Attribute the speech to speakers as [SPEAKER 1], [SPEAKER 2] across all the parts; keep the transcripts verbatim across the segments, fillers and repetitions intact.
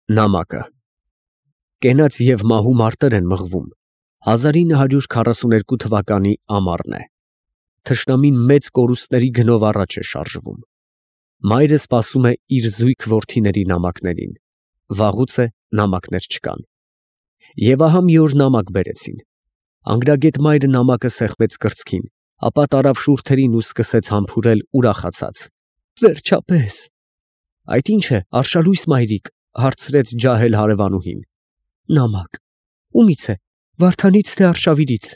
[SPEAKER 1] Նամակը Կենաց և մահու մարտեր են մղվում, հազար ինը հարյուր քառասուներկու թվականի ամառն է, թշնամին մեծ կորուստների գնով առաջ է շարժվում, մայրը սպասում է իր զույգ որդիների նամակներին, վաղուց է նամակներ չկան, և ահա մի օր նամակ բերեցին, անգրագետ մայրը նամակը սեղմեց կրծքին, ապա տարավ շուրթերին ու սկսեց համբուրել ուրախացած. «Վերջապես»։ «Այդ ի՞նչ է, արշալույս մայրիկ», հարցրեց ջահել հարևանուհին։ «Նամակ»։ «Ումի՞ց է, Վարդանից, թե Արշավիրից»։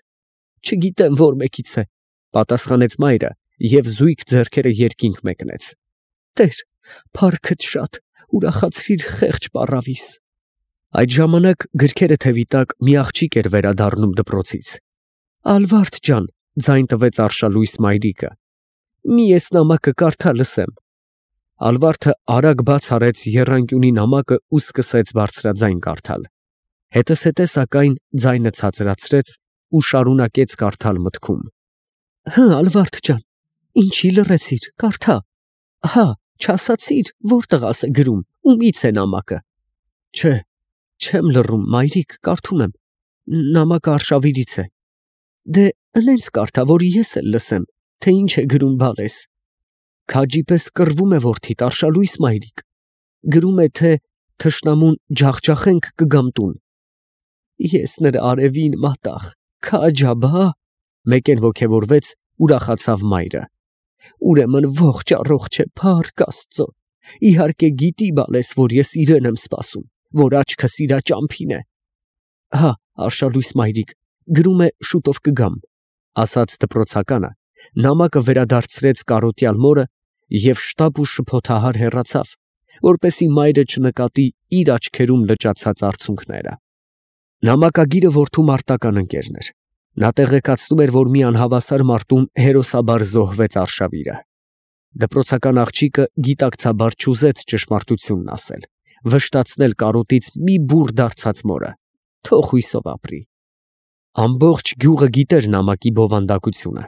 [SPEAKER 1] «Չգիտեմ, որ մեկից է», պատասխանեց մայրը և զույգ ձեռքերը երկինք մեկնեց։ «Տեր, փառքդ շատ, ուրախացրիր խեղճ պառավիս»։ Այդ ժամանակ գրքերը թևի տակ մի աղջիկ էր վերադառնում դպրոցից։ «Ալվարդ ջան», ձայն տվեց արշալույս մայրիկը, «մի էս նամակը կարդա լսեմ»։ Ալվարդը արագ բաց արեց եռանկյունի նամակը ու սկսեց բարձրաձայն կարդալ, հետզհետե սակայն ձայնը ցածրացրեց ու շարունակեց կարդալ մտքում. «Հը, Ալվարդ ջան, ինչի լռեցիր, կարդա, հա, չասացիր, որ տղաս է գրում, ումի՞ց է նամակը»։ «Չէ, չեմ լռում, մայրիկ, կարդում եմ, նամակը Արշավիրից է»։ «Դե ընենց կարդա, որ ես էլ լսեմ, թե ինչ է գրում բալես»։ «Քաջի պես կռվում է որդիդ, արշալույս մայրիկ, գրում է, թե թշնամուն ջախջախենք կգամ տուն»։ «Ես նրա արևին մատաղ, քաջ աբա», մեկեն ոգևորվեց, ուրախացավ մայրը։ «Ուրեմն ողջ առողջ է, փառք Աստծո, իհարկե գիտի բալես, որ ես իրեն եմ սպասում, որ աչքս իրա ճամփին է»։ «Հա, արշալույս մայրիկ, գրում է շուտով կգամ», ասաց դպրոցականը, նամակը վերադարձրեց կարոտյալ մորը և շտապ ու շփոթահար հեռացավ, որպեսզի մայրը չնկատի իր աչքերում լճացած արցունքները։ Նամակագիրը որդու մարտական ընկերն էր, նա տեղեկացնում էր, որ մի անհավասար մարտում հերոսաբար զոհվեց արշավիրը։ Դպրոցական աղջիկը գիտակցաբար չուզեց ճշմարտությունն ասել, վշտացնել կարոտից մի բուռ դարձած մորը, թող հույսով ապրի։ Ամբողջ գյուղը գիտեր նամակի բովանդակությունը,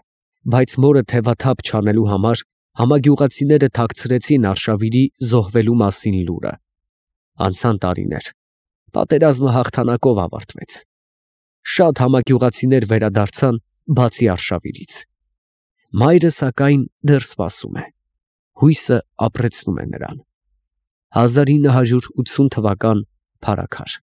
[SPEAKER 1] բայց մորը թևաթափ չանելու համար համագյուղացիները թաքցրեցին արշավիրի զոհվելու մասին լուրը։ Անցան տարիներ, պատերազմը հաղթանակով ավարտվեց։ Շատ համագյուղացիներ վերադարձան, բացի արշավիրից։ Մայրը, սակայն, դեռ սպասում է, հույսը ապրեցնում է նրան։ հազար ինը հարյուր ութսուն թվական. Փարաքար։